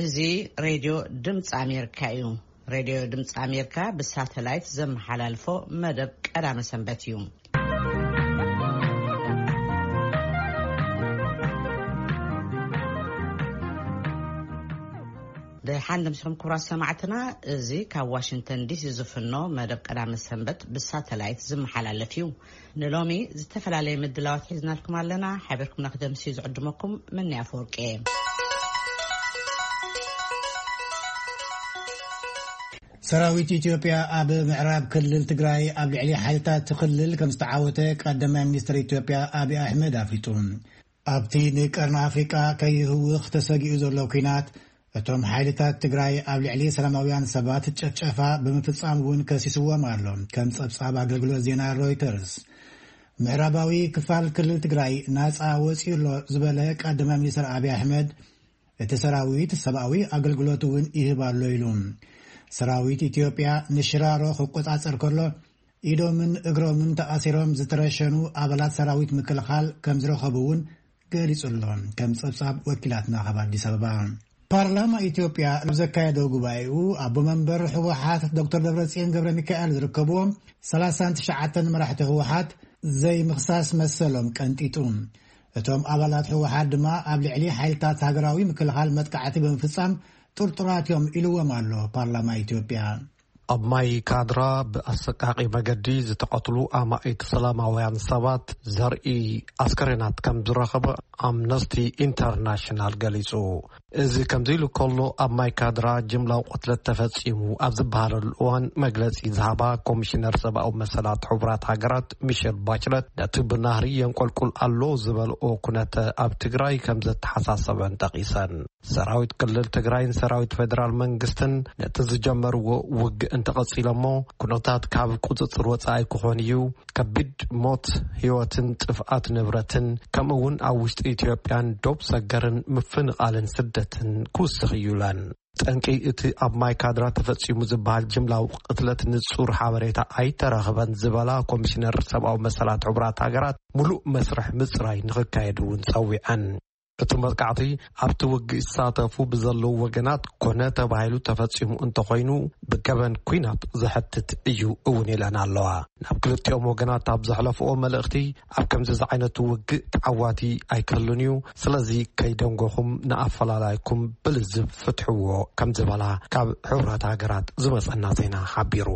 እዚ ሬድዮ ድምፂ ኣሜሪካ እዩ። ሬድዮ ድምፂ ኣሜሪካ ብሳተላይት ዘመሓላልፎ መደብ ቀዳመ ሰንበት እዩ። ደሓን ደምሲኹም ክቡራት ሰማዕትና፣ እዚ ካብ ዋሽንግተን ዲሲ ዝፍኖ መደብ ቀዳመ ሰንበት ብሳተላይት ዝመሓላለፍ እዩ። ንሎሚ ዝተፈላለየ ምድላዋት ሒዝናልኩም ኣለና። ሓቢርኩምና ክደምሲ ዝዕድመኩም ምንያ ኣፈወርቂ እየ። ሰራዊት ኢትዮጵያ ኣብ ምዕራብ ክልል ትግራይ ኣብ ልዕሊ ሓይልታት እቲ ክልል ከም ዝተዓወተ ቀዳማይ ሚኒስትር ኢትዮጵያ ኣብይ ኣሕመድ ኣፍሊጡ። ኣብቲ ንቀርኒ ኣፍሪቃ ከይህውኽ ተሰጊኡ ዘሎ ኲናት፣ እቶም ሓይልታት ትግራይ ኣብ ልዕሊ ሰላማውያን ሰባት ጨፍጨፋ ብምፍጻም እውን ከሲስዎም ኣሎ። ከም ጸብጻብ ኣገልግሎት ዜና ሮይተርስ፣ ምዕራባዊ ክፋል ክልል ትግራይ ናጻ ወጺኡ ኣሎ ዝበለ ቀዳማይ ሚኒስትር ኣብይ ኣሕመድ፣ እቲ ሰራዊት ሰብኣዊ ኣገልግሎት እውን ይህብ ኣሎ ኢሉ። ሰራዊት ኢትዮጵያ ንሽራሮ ክቆጻጸር ከሎ፣ ኢዶምን እግሮምን ተኣሲሮም ዝተረሸኑ ኣባላት ሰራዊት ምክልኻል ከም ዝረኸቡ እውን ገሊጹ ኣሎ። ከም ጸብጻብ ወኪላትና ካብ ኣዲስ ኣበባ። ፓርላማ ኢትዮጵያ ኣብ ዘካየዶ ጉባኤኡ፣ ኣቦ መንበር ህወሓት ዶክተር ደብረጽዮን ገብረ ሚካኤል ዝርከብዎም ሰላሳን ትሽዓተን መራሕቲ ህወሓት ዘይምኽሳስ መሰሎም ቀንጢጡ። እቶም ኣባላት ህወሓት ድማ ኣብ ልዕሊ ሓይልታት ሃገራዊ ምክልኻል መጥቃዕቲ ብምፍጻም ጥርጡራት እዮም ኢልዎም ኣሎ ፓርላማ ኢትዮጵያ። ኣብ ማይ ካድራ ብኣሰቃቂ መገዲ ዝተቐትሉ ኣማኢት ሰላማውያን ሰባት ዘርኢ ኣስከሬናት ከም ዝረኸበ ኣምነስቲ ኢንተርናሽናል ገሊጹ። እዚ ከምዚ ኢሉ ከሎ፣ ኣብ ማይ ካድራ ጅምላዊ ቅትለት ተፈጺሙ ኣብ ዝበሃለሉ እዋን መግለጺ ዝሃባ ኮሚሽነር ሰብኣዊ መሰላት ሕቡራት ሃገራት ሚሸል ባችለት፣ ነቲ ብናህሪ የንቆልቁል ኣሎ ዝበልኦ ኩነተ ኣብ ትግራይ ከም ዘተሓሳሰበን ጠቒሰን። ሰራዊት ክልል ትግራይን ሰራዊት ፌደራል መንግስትን ነቲ ዝጀመርዎ ውግእ እንተቐጺሎሞ፣ ኩነታት ካብ ቁጽጽር ወጻኢ ክኾን እዩ። ከቢድ ሞት፣ ህይወትን ጥፍኣት ንብረትን፣ ከምኡ እውን ኣብ ውሽጢ ኢትዮጵያን ዶብ ሰገርን ምፍንቓልን ስደትን ክውስኽ እዩ ኢለን። ጠንቂ እቲ ኣብ ማይ ካድራ ተፈጺሙ ዝበሃል ጅምላዊ ቅትለት ንጹር ሓበሬታ ኣይተረኽበን ዝበላ ኮሚሽነር ሰብኣዊ መሰላት ሕቡራት ሃገራት፣ ሙሉእ መስርሕ ምጽራይ ንኽካየድ እውን ጸዊዐን። እቲ መጥቃዕቲ ኣብቲ ውግእ ይሳተፉ ብዘለዉ ወገናት ኮነ ተባሂሉ ተፈጺሙ እንተኾይኑ፣ ብገበን ኲናት ዘሕትት እዩ እውን ኢለን ኣለዋ። ናብ ክልቲኦም ወገናት ኣብ ዘሕለፍኦ መልእኽቲ፣ ኣብ ከምዚ ዝዓይነቱ ውግእ ተዓዋቲ ኣይክህሉን እዩ፣ ስለዚ ከይደንጎኹም ንኣፈላላይኩም ብልዝብ ፍትሕዎ ከም ዝበላ ካብ ሕቡራት ሃገራት ዝመጸና ዜና ሓቢሩ።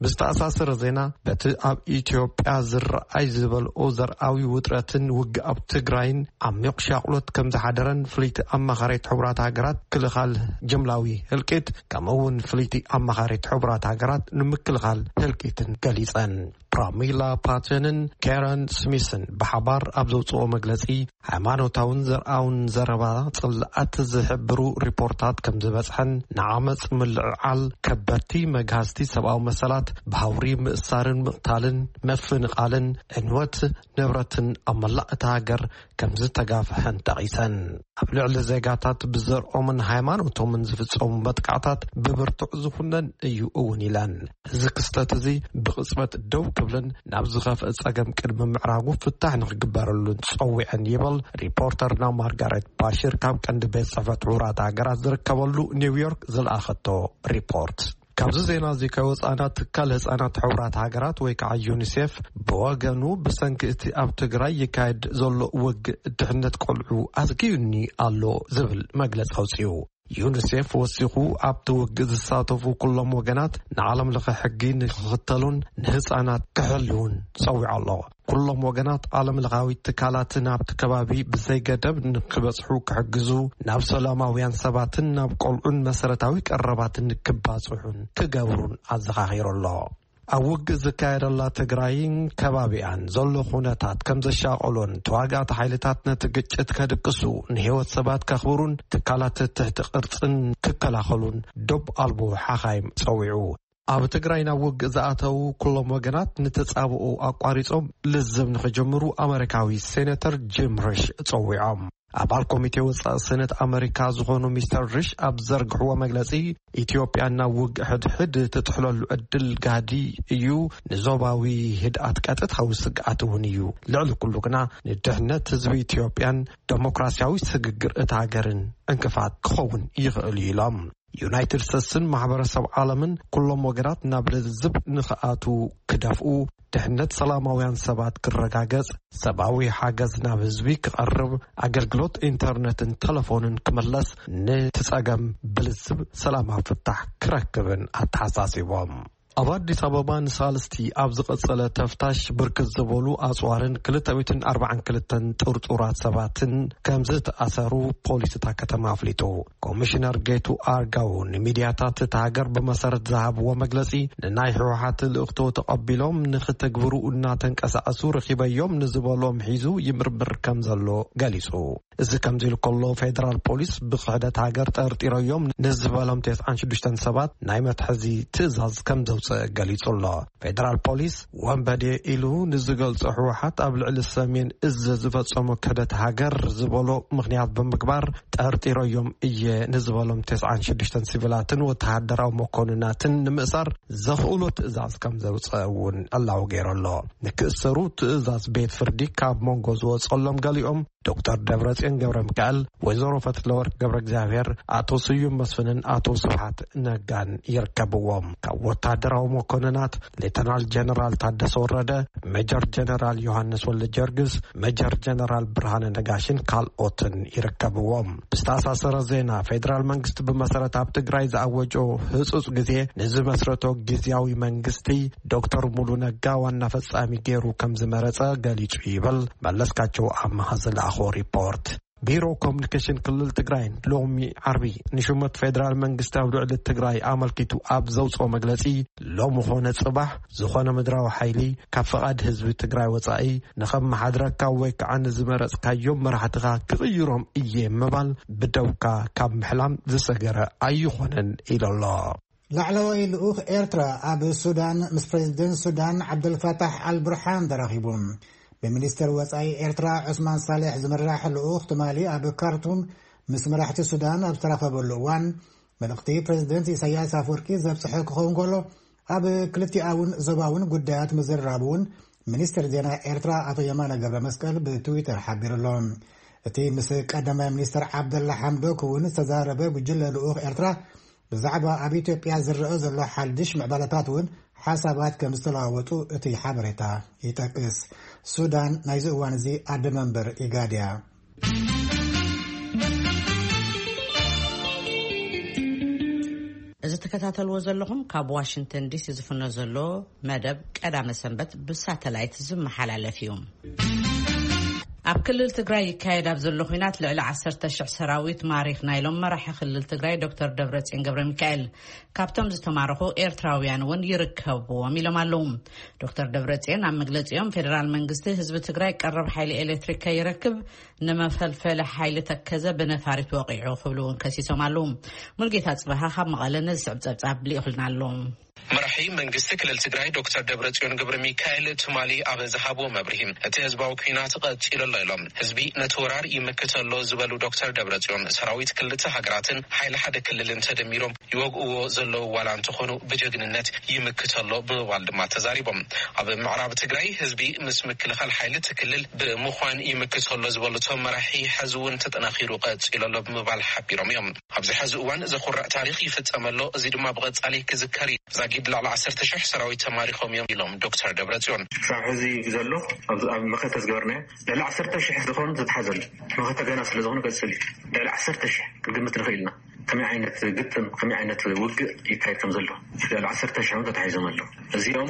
ብዝተኣሳሰረ ዜና፣ በቲ ኣብ ኢትዮጵያ ዝረኣይ ዝበልኦ ዘርኣዊ ውጥረትን ውግእ ኣብ ትግራይን ዓሚቕ ሻቕሎት ከም ዝሓደረን ፍልይቲ ኣማኻሪት ሕቡራት ሃገራት ክልኻል ጅምላዊ ህልቂት፣ ከምኡ እውን ፍልይቲ ኣማኻሪት ሕቡራት ሃገራት ንምክልኻል ህልቂትን ገሊጸን። ፕራሚላ ፓተንን ካረን ስሚስን ብሓባር ኣብ ዘውፅኦ መግለፂ፣ ሃይማኖታውን ዘርኣውን ዘረባ ጽልኣት ዝሕብሩ ሪፖርታት ከም ዝበጽሐን፣ ንዓመጽ ምልዕዓል፣ ከበድቲ መግሃስቲ ሰብኣዊ መሰላት፣ ብሃውሪ ምእሳርን ምቕታልን፣ ምፍንቓልን፣ ዕንወት ንብረትን ኣብ መላእ እታ ሃገር ከም ዝተጋፍሐን ጠቒሰን። ኣብ ልዕሊ ዜጋታት ብዘርኦምን ሃይማኖቶምን ዝፍጸሙ መጥቃዕታት ብብርቱዕ ዝኹነን እዩ እውን ኢለን። እዚ ክስተት እዚ ብቕጽበት ደው ክብልን ናብ ዝኸፍአ ጸገም ቅድሚ ምዕራጉ ፍታሕ ንክግበረሉን ጸዊዐን ይብል ሪፖርተርና ማርጋሬት ባሽር ካብ ቀንዲ ቤት ጽሕፈት ሕቡራት ሃገራት ዝርከበሉ ኒውዮርክ ዝለኣኸቶ ሪፖርት። ካብዚ ዜና እዚ ከይወጻእና፣ ትካል ህጻናት ሕቡራት ሃገራት ወይ ከዓ ዩኒሴፍ ብወገኑ፣ ብሰንኪ እቲ ኣብ ትግራይ ይካየድ ዘሎ ውግእ ድሕነት ቆልዑ ኣስጊኡኒ ኣሎ ዝብል መግለጺ ኣውጺኡ። ዩኒሴፍ ወሲኹ፣ ኣብቲ ውግእ ዝሳተፉ ኩሎም ወገናት ንዓለም ለኸ ሕጊ ንክኽተሉን ንህጻናት ክሕልውን ጸዊዑ ኣሎ። ኩሎም ወገናት ዓለም ለኻዊ ትካላትን ኣብቲ ከባቢ ብዘይገደብ ንክበጽሑ ክሕግዙ፣ ናብ ሰላማውያን ሰባትን ናብ ቆልዑን መሰረታዊ ቀረባትን ክባጽሑን ክገብሩን ኣዘኻኺሩ ኣሎ። ኣብ ውግእ ዝካየደላ ትግራይን ከባቢኣን ዘሎ ኩነታት ከም ዘሻቐሎን፣ ተዋጋእቲ ሓይልታት ነቲ ግጭት ከድቅሱ፣ ንህይወት ሰባት ከኽብሩን ትካላት ትሕቲ ቅርጽን ክከላኸሉን ዶብ ኣልቦ ሓኻይም ጸዊዑ። ኣብ ትግራይ ናብ ውግእ ዝኣተዉ ኩሎም ወገናት ንተጻብኦ ኣቋሪጾም ልዝብ ንኽጅምሩ ኣመሪካዊ ሴኔተር ጂም ሪሽ ጸዊዖም። ኣባል ኮሚቴ ወጻኢ ሰነት ኣመሪካ ዝኾኑ ሚስተር ሪሽ ኣብ ዘርግሕዎ መግለጺ፣ ኢትዮጵያ ናብ ውግእ ሕድሕድ ትጥሕለሉ ዕድል ጋዲ እዩ፣ ንዞባዊ ህድኣት ቀጥታዊ ስግኣት እውን እዩ። ልዕሊ ኩሉ ግና ንድሕነት ህዝቢ ኢትዮጵያን ደሞክራሲያዊ ስግግር እታ ሃገርን ዕንቅፋት ክኸውን ይኽእል እዩ ኢሎም። ዩናይትድ ስቴትስን ማሕበረሰብ ዓለምን ኩሎም ወገናት ናብ ልዝብ ንኽኣቱ ክደፍኡ፣ ድሕነት ሰላማውያን ሰባት ክረጋገጽ፣ ሰብኣዊ ሓገዝ ናብ ህዝቢ ክቐርብ፣ ኣገልግሎት ኢንተርነትን ተለፎንን ክምለስ፣ ነቲ ጸገም ብልዝብ ሰላማዊ ፍታሕ ክረክብን ኣተሓሳሲቦም። ኣብ ኣዲስ ኣበባ ንሳልስቲ ኣብ ዝቐጸለ ተፍታሽ ብርክት ዝበሉ ኣጽዋርን ክልተ ሚእትን ኣርባዓን ክልተን ጥርጡራት ሰባትን ከም ዝተኣሰሩ ፖሊስ እታ ከተማ ኣፍሊጡ። ኮሚሽነር ጌቱ ኣርጋው ንሚድያታት እታ ሃገር ብመሰረት ዝሃብዎ መግለጺ፣ ንናይ ህወሓት ልእኽቶ ተቐቢሎም ንኽተግብሩ እናተንቀሳቐሱ ረኺበዮም ንዝበሎም ሒዙ ይምርምር ከም ዘሎ ገሊጹ። እዚ ከምዚ ኢሉ ከሎ፣ ፌደራል ፖሊስ ብክሕደት ሃገር ጠርጢረዮም ንዝበሎም ተስዓን ሽዱሽተን ሰባት ናይ መትሐዚ ትእዛዝ ከም ዘውፅእ ገሊጹ ኣሎ። ፌደራል ፖሊስ ወንበዴ ኢሉ ንዝገልጾ ህወሓት ኣብ ልዕሊ ሰሜን እዝ ዝፈጸሞ ክሕደት ሃገር ዝበሎ ምኽንያት ብምግባር፣ ጠርጢረዮም እየ ንዝበሎም ተስዓን ሽዱሽተን ሲቪላትን ወተሃደራዊ መኮንናትን ንምእሳር ዘኽእሎ ትእዛዝ ከም ዘውፅአ እውን ዕላዊ ገይሩ ኣሎ። ንክእሰሩ ትእዛዝ ቤት ፍርዲ ካብ መንጎ ዝወፀሎም ገሊኦም፣ ዶክተር ደብረጽዮን ገብረ ሚካኤል፣ ወይዘሮ ፈትለወርቅ ገብረ እግዚኣብሔር፣ ኣቶ ስዩም መስፍንን ኣቶ ስብሓት ነጋን ይርከብዎም። ካብ ወታደራዊ መኮንናት፣ ሌተናል ጀነራል ታደሰ ወረደ፣ ሜጀር ጀነራል ዮሃንስ ወልደ ጀርግስ፣ ሜጀር ጀነራል ብርሃነ ነጋሽን ካልኦትን ይርከብዎም። ብዝተኣሳሰረ ዜና፣ ፌደራል መንግስቲ ብመሰረት ኣብ ትግራይ ዝኣወጆ ህጹጽ ግዜ ንዝመስረቶ ግዝያዊ መንግስቲ፣ ዶክተር ሙሉ ነጋ ዋና ፈጻሚ ገይሩ ከም ዝመረጸ ገሊጹ ይብል መለስካቸው ኣመሃ ዝለኣኾ ሪፖርት። ቢሮ ኮሚኒኬሽን ክልል ትግራይ ሎሚ ዓርቢ ንሹመት ፌደራል መንግስቲ ኣብ ልዕሊ ትግራይ ኣመልኪቱ ኣብ ዘውፅኦ መግለፂ፣ ሎሚ ኾነ ፅባሕ ዝኾነ ምድራዊ ሓይሊ ካብ ፈቓድ ህዝቢ ትግራይ ወፃኢ ንኸመሓድረካ ወይ ከዓ ንዝመረፅካዮም መራሕትኻ ክቕይሮም እየ ምባል ብደውካ ካብ ምሕላም ዝሰገረ ኣይኾነን ኢሉ ኣሎ። ላዕለዋይ ልኡኽ ኤርትራ ኣብ ሱዳን ምስ ፕሬዝደንት ሱዳን ዓብደልፋታሕ ኣልቡርሓን ተራኺቡ። ብሚኒስትር ወጻኢ ኤርትራ ዑስማን ሳልሕ ዝምራሕ ልኡኽ ትማሊ ኣብ ካርቱም ምስ መራሕቲ ሱዳን ኣብ ዝተራኸበሉ እዋን፣ መልእኽቲ ፕሬዝደንት ኢሳያስ ኣፍወርቂ ዘብጽሐ ክኸውን ከሎ፣ ኣብ ክልቲኣውን ዞባውን ጉዳያት ምዝርራቡ እውን ሚኒስትር ዜና ኤርትራ ኣቶ የማነ ገብረ መስቀል ብትዊተር ሓቢሩ ኣሎ። እቲ ምስ ቀዳማይ ሚኒስትር ዓብደላ ሓምዶክ እውን ዝተዛረበ ጉጅለ ልኡኽ ኤርትራ፣ ብዛዕባ ኣብ ኢትዮጵያ ዝረአ ዘሎ ሓድሽ ምዕባለታት እውን ሓሳባት ከም ዝተለዋወጡ እቲ ሓበሬታ ይጠቅስ። ሱዳን ናይዚ እዋን እዚ ኣደ መንበር ኢጋድ እያ። እዚ ትከታተልዎ ዘለኹም ካብ ዋሽንግተን ዲሲ ዝፍኖ ዘሎ መደብ ቀዳመ ሰንበት ብሳተላይት ዝመሓላለፍ እዩ። ኣብ ክልል ትግራይ ይካየድ ኣብ ዘሎ ኲናት ልዕሊ ዓሰርተ ሽሕ ሰራዊት ማሪኽና ኢሎም መራሒ ክልል ትግራይ ዶክተር ደብረጽዮን ገብረ ሚካኤል። ካብቶም ዝተማረኹ ኤርትራውያን እውን ይርከብዎም ኢሎም ኣለዉ። ዶክተር ደብረጽዮን ኣብ መግለጺኦም፣ ፌደራል መንግስቲ ህዝቢ ትግራይ ቀረብ ሓይሊ ኤሌክትሪክ ከይረክብ ንመፈልፈሊ ሓይሊ ተከዘ ብነፋሪት ወቒዑ ክብሉ እውን ከሲሶም ኣለዉ። ሙልጌታ ጽበሃ ካብ መቐለ ነዚ ስዕብ ጸብጻብ ልኢኹልና ኣሎ። መራሒ መንግስቲ ክልል ትግራይ ዶክተር ደብረጽዮን ገብረ ሚካኤል ትማሊ ኣብ ዝሃብዎ መብርሂ፣ እቲ ህዝባዊ ኲናት ቀጺሉ ኣሎ ኢሎም። ህዝቢ ነቲ ወራር ይምክት ኣሎ ዝበሉ ዶክተር ደብረጽዮን፣ ሰራዊት ክልተ ሃገራትን ሓይሊ ሓደ ክልልን ተደሚሮም ይወግእዎ ዘለዉ ዋላ እንተኾኑ ብጀግንነት ይምክት ኣሎ ብምባል ድማ ተዛሪቦም። ኣብ ምዕራብ ትግራይ ህዝቢ ምስ ምክልኻል ሓይሊ እቲ ክልል ብምዃን ይምክት ኣሎ ዝበሉ እቶም መራሒ፣ ሕዚ እውን ተጠናኺሩ ቀጺሉ ኣሎ ብምባል ሓቢሮም እዮም። ኣብዚ ሕዚ እዋን ዘኹርዕ ታሪኽ ይፍጸም ኣሎ፣ እዚ ድማ ብቐጻሊ ክዝከር እዩ። ዛጊድ ልዕሊ ዓሰርተ ሽሕ ሰራዊት ተማሪኾም እዮም ኢሎም ዶክተር ደብረጽዮን። ክሳብ ሕዚ ዘሎ ኣብ፣ ኣብ መኸተ ዝገበርናዮ ልዕሊ ዓሰርተ ሽሕ ዝኾኑ ዝተሓዘሉ፣ መኸተ ገና ስለ ዝኾነ ቀጽል እዩ። ልዕሊ ዓሰርተ ሽሕ ክንግምት ንኽእል ኢና። ከመይ ዓይነት ግጥም፣ ከመይ ዓይነት ውግእ ይካየድ ከም ዘሎ፣ ልዕሊ ዓሰርተ ሽሕ እውን ተታሒዞም ኣለዉ። እዚኦም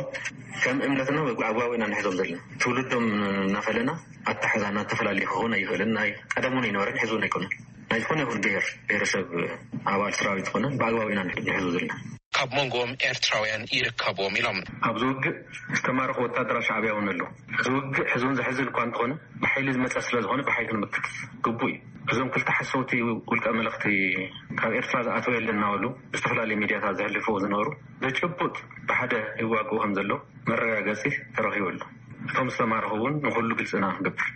ከም እምነትና ኣግባቡ ኢና ንሕዞም ዘለና። ትውልዶም እናፈለና ኣታሕዛና ተፈላለየ ክኸውን ኣይኽእልን። ናይ ቀደም እውን ኣይነበረን፣ ሕዚ እውን ኣይኮነን። ናይ ዝኾነ ይኹን ብሔር ብሔረሰብ ኣባል ሰራዊት ዝኾነ ብኣግባቡ ኢና ንሕዞ ዘለና። ካብ መንጎኦም ኤርትራውያን ይርከብዎም ኢሎም። ኣብዚ ውግእ ዝተማረኹ ወታደራት ሻዕብያ እውን ኣለዉ። እዚ ውግእ ሕዚ እውን ዘሕዝን እኳ እንተኾነ፣ ብሓይሊ ዝመጸ ስለ ዝኾነ ብሓይሊ ክንምክት ግቡእ እዩ። እዞም ክልተ ሓሰውቲ ውልቀ መለኽቲ ካብ ኤርትራ ዝኣተወ የለን እናበሉ ብዝተፈላለየ ሚድያታት ዘሕልፍዎ ዝነበሩ፣ ብጭቡጥ ብሓደ ይዋግኡ ከም ዘለዉ መረጋገጺ ተረኺቡ ኣሎ። እቶም ዝተማረኹ እውን ንኹሉ ግልጺ ኢና ክንገብር።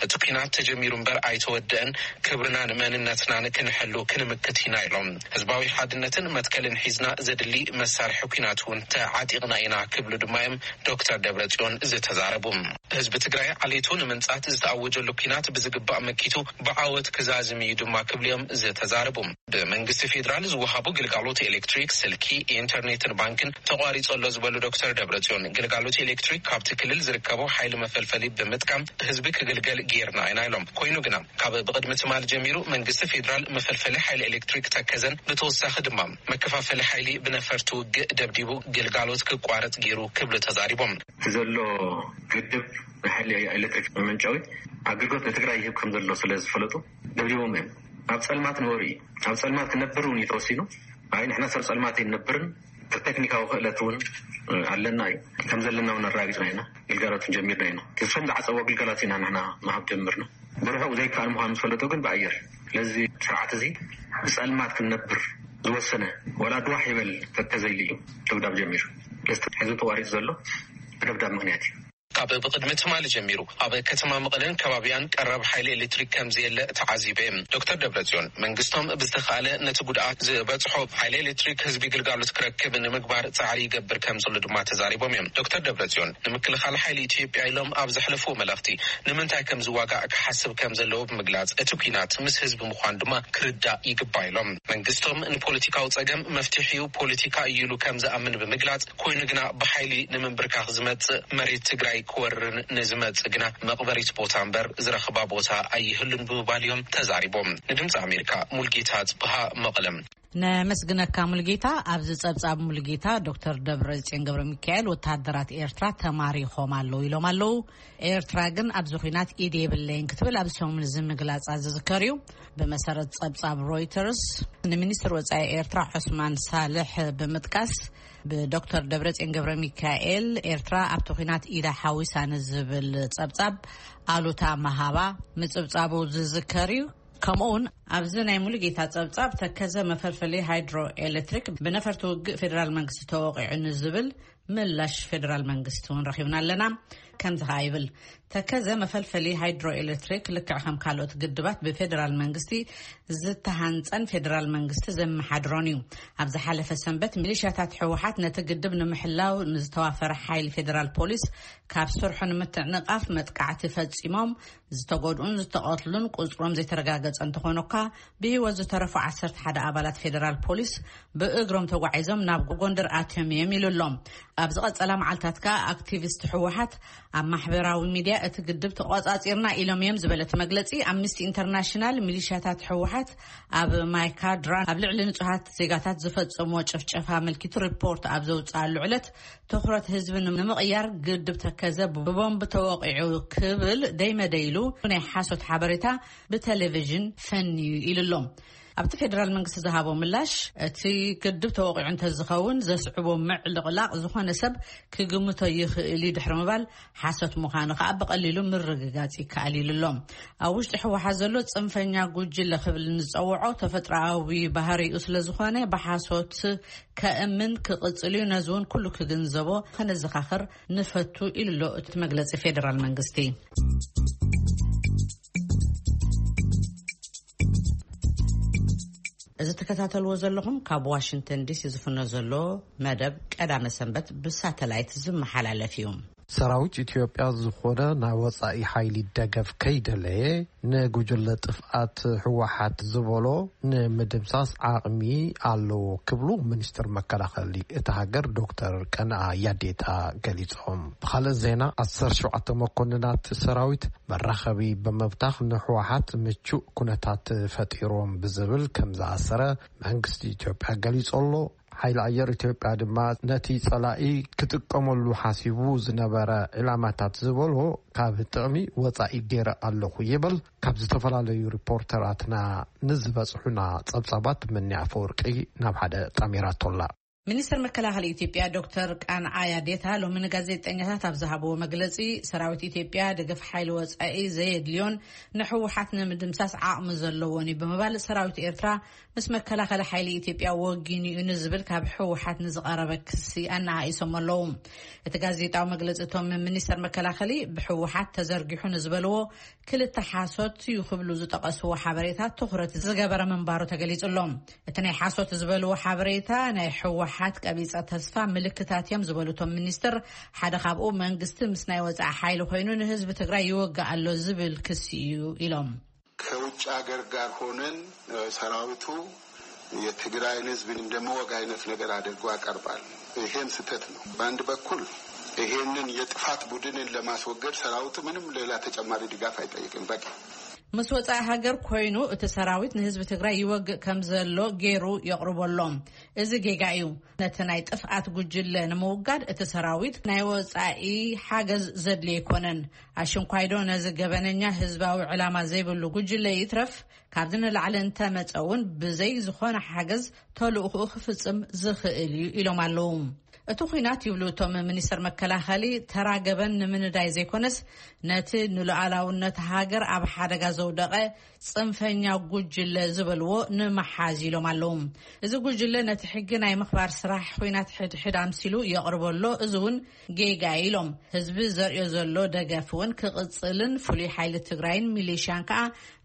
እቲ ኲናት ተጀሚሩ እምበር ኣይተወደአን። ክብርናን መንነትናን ክንሕሉ ክንምክት ኢና ኢሎም። ህዝባዊ ሓድነትን መትከልን ሒዝና ዘድሊ መሳርሒ ኲናት እውን ተዓጢቕና ኢና ክብሉ ድማ እዮም ዶክተር ደብረጽዮን ዝተዛረቡ። ህዝቢ ትግራይ ዓሌቱ ንምንጻት ዝተኣወጀሉ ኲናት ብዝግባእ መኪቱ ብዓወት ክዛዝም እዩ ድማ ክብሉ እዮም ዝተዛረቡ። ብመንግስቲ ፌዴራል ዝወሃቡ ግልጋሎት ኤሌክትሪክ፣ ስልኪ፣ ኢንተርኔትን ባንክን ተቋሪጹ ኣሎ ዝበሉ ዶክተር ደብረጽዮን፣ ግልጋሎት ኤሌክትሪክ ካብቲ ክልል ዝርከቡ ሓይሊ መፈልፈሊ ብምጥቃም ህዝቢ ክግልገል ጌርና ኢና ኢሎም። ኮይኑ ግና ካብ ብቕድሚ ትማል ጀሚሩ መንግስቲ ፌዴራል መፈልፈሊ ሓይሊ ኤሌክትሪክ ተከዘን ብተወሳኺ ድማ መከፋፈሊ ሓይሊ ብነፈርቲ ውግእ ደብዲቡ ግልጋሎት ክቋረጽ ገይሩ ክብሉ ተዛሪቦም። እቲ ዘሎ ግድብ ንሓይሊ ኤሌክትሪክ መመንጨዊ ኣገልግሎት ንትግራይ ይህብ ከም ዘሎ ስለ ዝፈለጡ ደብዲቦም እዮም። ኣብ ጸልማት ንበሩ እዩ። ኣብ ጸልማት ክነብር እውን እዩ ተወሲኑ። ኣይ ንሕና ሰብ ጸልማት ኣይንነብርን፣ ተክኒካዊ ክእለት እውን ኣለና እዩ። ከም ዘለና እውን ኣረጋጊጽና ኢና። ግልጋሎት ጀሚርና ኢና። እቶም ዝዓጸዎ ግልጋሎት ኢና ንሕና ምሃብ ጀምርና። ብርሑቕ ዘይከኣል ምዃኑ ዝፈለጡ ግን ብኣየር። ስለዚ ስርዓት እዚ ብጸልማት ክንነብር ዝወሰነ ዋላ ድዋሕ ይበል ተተዘይሉ እዩ ደብዳብ ጀሚሩ። ስለዚ ሕዚ ተቋሪጹ ዘሎ ብደብዳብ ምኽንያት እዩ። ካብ ብቕድሚ ትማሊ ጀሚሩ ኣብ ከተማ መቐለን ከባቢያን ቀረብ ሓይሊ ኤሌክትሪክ ከም ዘየለ ተዓዚበ። ዶክተር ደብረጽዮን መንግስቶም ብዝተኻእለ ነቲ ጉድኣት ዝበጽሖ ሓይሊ ኤሌክትሪክ ህዝቢ ግልጋሎት ክረክብ ንምግባር ጻዕሪ ይገብር ከም ዘሎ ድማ ተዛሪቦም እዮም። ዶክተር ደብረጽዮን ንምክልኻል ሓይሊ ኢትዮጵያ ኢሎም ኣብ ዘሕለፍዎ መልእኽቲ ንምንታይ ከም ዝዋጋእ ክሓስብ ከም ዘለዎ ብምግላጽ፣ እቲ ኲናት ምስ ህዝቢ ምዃኑ ድማ ክርዳእ ይግባእ ኢሎም። መንግስቶም ንፖለቲካዊ ጸገም መፍትሒኡ ፖለቲካ እዩ ኢሉ ከም ዝኣምን ብምግላጽ፣ ኮይኑ ግና ብሓይሊ ንምንብርካኽ ዝመጽእ መሬት ትግራይ ክወርን ንዝመጽእ ግና መቕበሪት ቦታ እምበር ዝረኽባ ቦታ ኣይህሉን ብምባል እዮም ተዛሪቦም። ንድምፂ ኣሜሪካ ሙልጌታ ጽብሃ መቐለም። ነመስግነካ ሙልጌታ። ኣብዚ ጸብጻብ ሙልጌታ ዶክተር ደብረጽዮን ገብረ ሚካኤል ወተሃደራት ኤርትራ ተማሪኾም ኣለዉ ኢሎም ኣለዉ። ኤርትራ ግን ኣብዚ ኹናት ኢድ የብለይን ክትብል ኣብዚ ሰሙን እዚ ምግላጻ ዝዝከር እዩ። ብመሰረት ጸብጻብ ሮይተርስ፣ ንሚኒስትር ወጻኢ ኤርትራ ዑስማን ሳልሕ ብምጥቃስ፣ ብዶክተር ደብረጽዮን ገብረ ሚካኤል ኤርትራ ኣብቲ ኹናት ኢዳ ሓዊሳ ንዝብል ጸብጻብ ኣሉታ መሃባ ምጽብጻቡ ዝዝከር እዩ። ከምኡውን ኣብዚ ናይ ሙሉጌታ ጸብጻብ ተከዘ መፈልፈሊ ሃይድሮ ኤሌክትሪክ ብነፈርቲ ውግእ ፌዴራል መንግስቲ ተወቂዑ ንዝብል ምላሽ ፌዴራል መንግስቲ እውን ረኺብና ኣለና። ከምዚ ኸኣ ይብል፣ ተከዘ መፈልፈሊ ሃይድሮ ኤሌክትሪክ ልክዕ ከም ካልኦት ግድባት ብፌዴራል መንግስቲ ዝተሃንጸን ፌዴራል መንግስቲ ዘመሓድሮን እዩ። ኣብ ዝሓለፈ ሰንበት ሚሊሻታት ህወሓት ነቲ ግድብ ንምሕላው ንዝተዋፈረ ሓይሊ ፌዴራል ፖሊስ ካብ ስርሑ ንምትዕንቓፍ መጥቃዕቲ ፈጺሞም ዝተጎድኡን ዝተቐትሉን ቁጽሮም ዘይተረጋገጸ እንተኾነ እኳ፣ ብህይወት ዝተረፉ ዓሰርተ ሓደ ኣባላት ፌዴራል ፖሊስ ብእግሮም ተጓዒዞም ናብ ጎንደር ኣትዮም እዮም ኢሉ ኣሎ። ኣብ ዝቐጸላ መዓልታት ከኣ ኣክቲቪስት ህወሓት ኣብ ማሕበራዊ ሚድያ እቲ ግድብ ተቖጻጺርና ኢሎም እዮም ዝበለ እቲ መግለጺ፣ ኣምነስቲ ኢንተርናሽናል ሚሊሻታት ህወሓት ኣብ ማይካድራ ኣብ ልዕሊ ንጹሃት ዜጋታት ዝፈጸምዎ ጭፍጨፋ ኣመልኪቱ ሪፖርት ኣብ ዘውጽኣሉ ዕለት፣ ትኹረት ህዝቢ ንምቕያር ግድብ ተከዘ ብቦምብ ተወቒዑ ክብል ደይመደይ ኢሉ ናይ ሓሶት ሓበሬታ ብቴሌቪዥን ፈንዩ ኢሉ ኣሎ። ኣብቲ ፌዴራል መንግስቲ ዝሃቦ ምላሽ፣ እቲ ግድብ ተወቒዑ እንተዝኸውን ዘስዕቦ ምዕልቕላቕ ዝኾነ ሰብ ክግምቶ ይኽእል እዩ ድሕሪ ምባል፣ ሓሶት ምዃኑ ከኣ ብቐሊሉ ምርግጋጽ ይከኣል ኢሉ ኣሎ። ኣብ ውሽጢ ህወሓት ዘሎ ጽንፈኛ ጉጅለ ክብል ንዝጸውዖ ተፈጥሮኣዊ ባህሪኡ ስለ ዝኾነ ብሓሶት ከእምን ክቕጽል እዩ። ነዚ እውን ኩሉ ክግንዘቦ ከነዘኻኽር ንፈቱ ኢሉ ኣሎ እቲ መግለጺ ፌዴራል መንግስቲ። እዚ ትከታተልዎ ዘለኹም ካብ ዋሽንግተን ዲሲ ዝፍኖ ዘሎ መደብ ቀዳመ ሰንበት ብሳተላይት ዝመሓላለፍ እዩ። ሰራዊት ኢትዮጵያ ዝኾነ ናይ ወጻኢ ሓይሊ ደገፍ ከይደለየ ንጉጅለ ጥፍኣት ህወሓት ዝበሎ ንምድምሳስ ዓቕሚ ኣለዎ ክብሉ ሚኒስትር መከላኸሊ እታ ሃገር ዶክተር ቀነኣ ያዴታ ገሊጾም። ብኻልእ ዜና፣ ዓሰርተ ሸውዓተ መኮንናት ሰራዊት መራኸቢ ብምብታኽ ንህወሓት ምቹእ ኩነታት ፈጢሮም ብዝብል ከም ዝኣሰረ መንግስቲ ኢትዮጵያ ገሊጹ ኣሎ። ሓይሊ ኣየር ኢትዮጵያ ድማ ነቲ ጸላኢ ክጥቀመሉ ሓሲቡ ዝነበረ ዒላማታት ዝበሎ ካብ ጥቕሚ ወጻኢ ገይረ ኣለኹ ይብል። ካብ ዝተፈላለዩ ሪፖርተራትና ንዝበጽሑና ጸብጻባት ምኒ ኣፈወርቂ ናብ ሓደ ጣሚራቶላ። ሚኒስትር መከላኸሊ ኢትዮጵያ ዶክተር ቃንዓ ያዴታ ሎሚ ንጋዜጠኛታት ኣብ ዝሃብዎ መግለጺ፣ ሰራዊት ኢትዮጵያ ደገፍ ሓይሊ ወጻኢ ዘየድልዮን ንህወሓት ንምድምሳስ ዓቕሚ ዘለዎን እዩ ብምባል፣ ሰራዊት ኤርትራ ምስ መከላኸሊ ሓይሊ ኢትዮጵያ ወጊኑ እዩ ንዝብል ካብ ህወሓት ንዝቐረበ ክሲ ኣነኣኢሶም ኣለዉ። እቲ ጋዜጣዊ መግለጺ እቶም ሚኒስተር መከላኸሊ ብህወሓት ተዘርጊሑ ንዝበልዎ ክልተ ሓሶት እዩ ክብሉ ዝጠቐስዎ ሓበሬታ ትኹረት ዝገበረ ምንባሩ ተገሊጹ ኣሎ። እቲ ናይ ሓሶት ዝበልዎ ሓበሬታ ናይ ህወሓት ቀቢጸ ተስፋ ምልክታት እዮም ዝበሉ እቶም ሚኒስትር፣ ሓደ ካብኡ መንግስቲ ምስ ናይ ወጻኢ ሓይሊ ኮይኑ ንህዝቢ ትግራይ ይወግእ ኣሎ ዝብል ክሲ እዩ ኢሎም። ከውጭ ሀገር ጋር ሆነን ሰራዊቱ የትግራይን ህዝብን እንደመወግ አይነት ነገር አድርጎ ያቀርባል። ይሄም ስህተት ነው። በአንድ በኩል ይሄንን የጥፋት ቡድንን ለማስወገድ ሰራዊቱ ምንም ሌላ ተጨማሪ ድጋፍ አይጠይቅም። በቂ። ምስ ወጻኢ ሃገር ኮይኑ እቲ ሰራዊት ንህዝቢ ትግራይ ይወግእ ከም ዘሎ ገይሩ የቕርቦ ኣሎ። እዚ ጌጋ እዩ። ነቲ ናይ ጥፍኣት ጉጅለ ንምውጋድ እቲ ሰራዊት ናይ ወጻኢ ሓገዝ ዘድልዮ ኣይኮነን። ኣሽንኳይዶ ነዚ ገበነኛ ህዝባዊ ዕላማ ዘይብሉ ጉጅለ ይትረፍ፣ ካብዚ ንላዕሊ እንተመጸ እውን ብዘይ ዝኾነ ሓገዝ ተልእኽኡ ክፍጽም ዝኽእል እዩ ኢሎም ኣለዉ። እቲ ኲናት ይብሉ እቶም ሚኒስትር መከላኸሊ፣ ተራ ገበን ንምንዳይ ዘይኮነስ ነቲ ንሉዓላውነት ሃገር ኣብ ሓደጋ ዘውደቐ ጽንፈኛ ጉጅለ ዝበልዎ ንምሓዝ ኢሎም ኣለዉ። እዚ ጉጅለ ነቲ ሕጊ ናይ ምኽባር ስራሕ ኲናት ሕድሕድ ኣምሲሉ የቕርበሎ፣ እዚ እውን ጌጋ ኢሎም። ህዝቢ ዘርእዮ ዘሎ ደገፍ እውን ክቕጽልን ፍሉይ ሓይሊ ትግራይን ሚሊሽያን ከኣ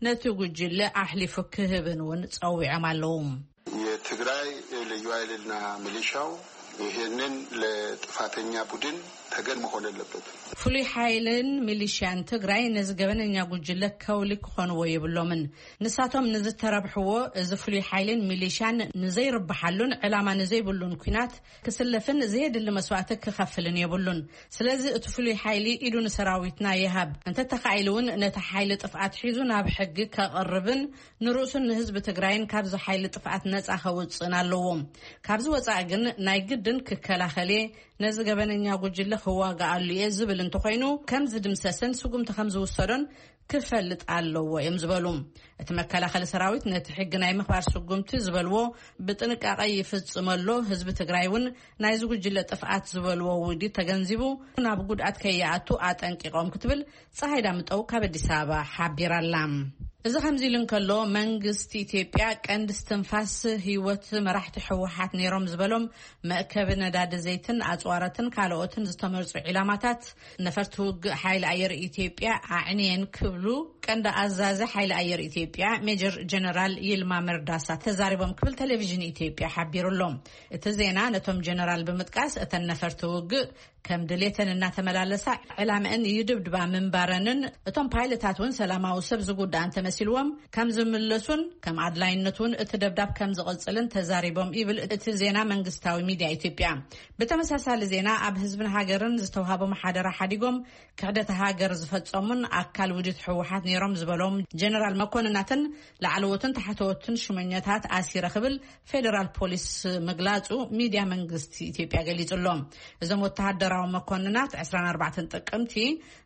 ነቲ ጉጅለ ኣሕሊፉ ክህብን እውን ጸዊዖም ኣለዉ። የትግራይ ልዩ ኃይልና ሚሊሻው ይሄንን ለጥፋተኛ ቡድን ተገን መሆን የለበትም። ፍሉይ ሓይልን ሚሊሽያን ትግራይ ነዚ ገበነኛ ጉጅለ ከውሊ ክኾንዎ የብሎምን። ንሳቶም ንዝተረብሕዎ፣ እዚ ፍሉይ ሓይልን ሚሊሽያን ንዘይርብሓሉን ዕላማ ንዘይብሉን ኲናት ክስለፍን ዘየድሊ መስዋእቲ ክኸፍልን የብሉን። ስለዚ እቲ ፍሉይ ሓይሊ ኢዱ ንሰራዊትና ይሃብ፣ እንተተኻኢሉ እውን ነቲ ሓይሊ ጥፍኣት ሒዙ ናብ ሕጊ ከቕርብን ንርእሱን ንህዝቢ ትግራይን ካብዚ ሓይሊ ጥፍኣት ነጻ ከውፅእን ኣለዎ። ካብዚ ወጻኢ ግን ናይ ግድን ክከላኸል እየ፣ ነዚ ገበነኛ ጉጅለ ክዋግኣሉ እየ ዝብል እንተኾይኑ፣ ከም ዝድምሰስን ስጉምቲ ከም ዝውሰዶን ክፈልጥ ኣለዎ እዮም ዝበሉ። እቲ መከላኸሊ ሰራዊት ነቲ ሕጊ ናይ ምኽባር ስጉምቲ ዝበልዎ ብጥንቃቐ ይፍጽመሎ፣ ህዝቢ ትግራይ እውን ናይዚ ጉጅለ ጥፍኣት ዝበልዎ ውዲት ተገንዚቡ ናብ ጉድኣት ከይኣቱ ኣጠንቂቖም ክትብል ፀሃይ ዳምጠው ካብ ኣዲስ ኣበባ ሓቢራ ኣላ። እዚ ከምዚ ኢሉ እንከሎ፣ መንግስቲ ኢትዮጵያ ቀንዲ እስትንፋስ ህይወት መራሕቲ ህወሓት ነይሮም ዝበሎም መእከቢ ነዳዲ ዘይትን ኣፅዋረትን ካልኦትን ዝተመርፁ ዒላማታት ነፈርቲ ውግእ ሓይሊ ኣየር ኢትዮጵያ ኣዕንየን ክብሉ ቀንዲ ኣዛዚ ሓይሊ ኣየር ኢትዮጵያ ሜጀር ጀነራል ይልማ መርዳሳ ተዛሪቦም ክብል ቴሌቪዥን ኢትዮጵያ ሓቢሩ ኣሎ። እቲ ዜና ነቶም ጀነራል ብምጥቃስ፣ እተን ነፈርቲ ውግእ ከም ድሌተን እናተመላለሳ ዕላምአን ይድብድባ ምንባረንን፣ እቶም ፓይለታት እውን ሰላማዊ ሰብ ዝጉዳእ እንተመሲልዎም ከም ዝምለሱን ከም ኣድላይነቱ እውን እቲ ደብዳብ ከም ዝቕጽልን ተዛሪቦም ይብል እቲ ዜና መንግስታዊ ሚድያ ኢትዮጵያ። ብተመሳሳሊ ዜና፣ ኣብ ህዝብን ሃገርን ዝተውሃቦም ሓደራ ሓዲጎም ክሕደት ሃገር ዝፈጸሙን ኣካል ውዲት ህወሓት ነይሮም ዝበሎም ጀነራል መኮንናትን ላዕለዎትን ታሕተዎትን ሹመኛታት ኣሲረ ክብል ፌደራል ፖሊስ ምግላጹ ሚድያ መንግስቲ ኢትዮጵያ ገሊጹ ኣሎ። እዞም ወተሃደራዊ መኮንናት ዕስራን ኣርባዕተን ጥቅምቲ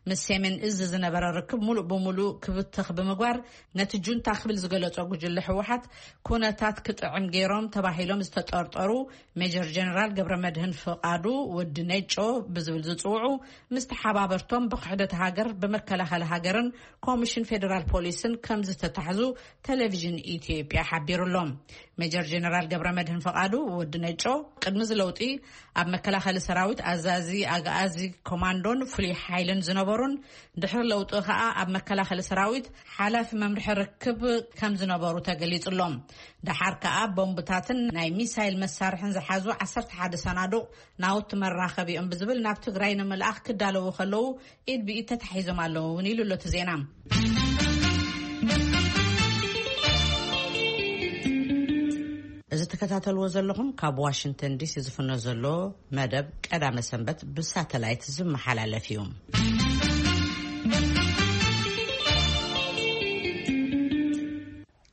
ምስ ሰሜን እዝ ዝነበረ ርክብ ሙሉእ ብሙሉእ ክብተኽ ብምግባር፣ ነቲ ጁንታ ክብል ዝገለጾ ጉጅለ ህወሓት ኩነታት ክጥዕም ገይሮም ተባሂሎም ዝተጠርጠሩ ሜጀር ጀነራል ገብረ መድህን ፍቓዱ፣ ወዲ ነጮ ብዝብል ዝጽውዑ፣ ምስ ተሓባበርቶም ብክሕደት ሃገር፣ ብመከላኸሊ ሃገርን ኮሚሽን ፌደራል ፖሊስን ከም ዝተታሕዙ ቴሌቪዥን ኢትዮጵያ ሓቢሩ ኣሎ። ሜጀር ጀነራል ገብረ መድህን ፍቓዱ፣ ወዲ ነጮ፣ ቅድሚ እዚ ለውጢ ኣብ መከላኸሊ ሰራዊት ኣዛዚ ኣግኣዚ ኮማንዶን ፍሉይ ሓይልን ዝነበሩን፣ ድሕሪ ለውጢ ከኣ ኣብ መከላኸሊ ሰራዊት ሓላፊ መምርሒ ርክብ ከም ዝነበሩ ተገሊጹ ኣሎ። ደሓር ከኣ ቦምብታትን ናይ ሚሳይል መሳርሕን ዝሓዙ ዓሰርተ ሓደ ሰናዱቕ ናውቲ መራኸቢኦም ብዝብል ናብ ትግራይ ንምልኣኽ ክዳለዉ ከለዉ ኢድ ብኢድ ተታሒዞም ኣለዉ እውን ኢሉ ኣሎ እቲ ዜና። እዚ ትከታተልዎ ዘለኹም ካብ ዋሽንግተን ዲሲ ዝፍኖ ዘሎ መደብ ቀዳመ ሰንበት ብሳተላይት ዝመሓላለፍ እዩ።